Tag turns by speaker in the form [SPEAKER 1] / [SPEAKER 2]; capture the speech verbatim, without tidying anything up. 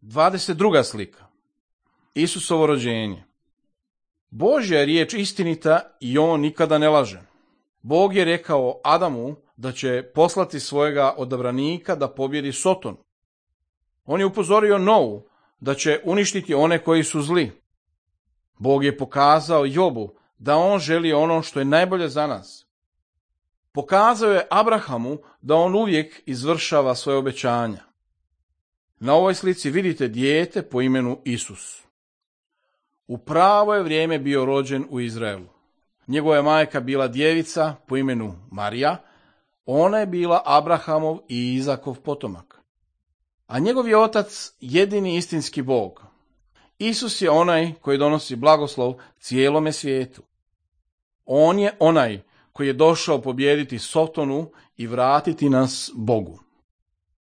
[SPEAKER 1] dvadeset druga slika. Isusovo rođenje. Božja je riječ istinita i on nikada ne laže. Bog je rekao Adamu da će poslati svojega odabranika da pobjedi Sotonu. On je upozorio Novu da će uništiti one koji su zli. Bog je pokazao Jobu da on želi ono što je najbolje za nas. Pokazao je Abrahamu da on uvijek izvršava svoje obećanja. Na ovoj slici vidite dijete po imenu Isus. U pravo je vrijeme bio rođen u Izraelu. Njegova je majka bila djevica po imenu Marija, ona je bila Abrahamov i Izakov potomak. A njegov je otac jedini istinski Bog. Isus je onaj koji donosi blagoslov cijelome svijetu. On je onaj koji je došao pobijediti Sotonu i vratiti nas Bogu.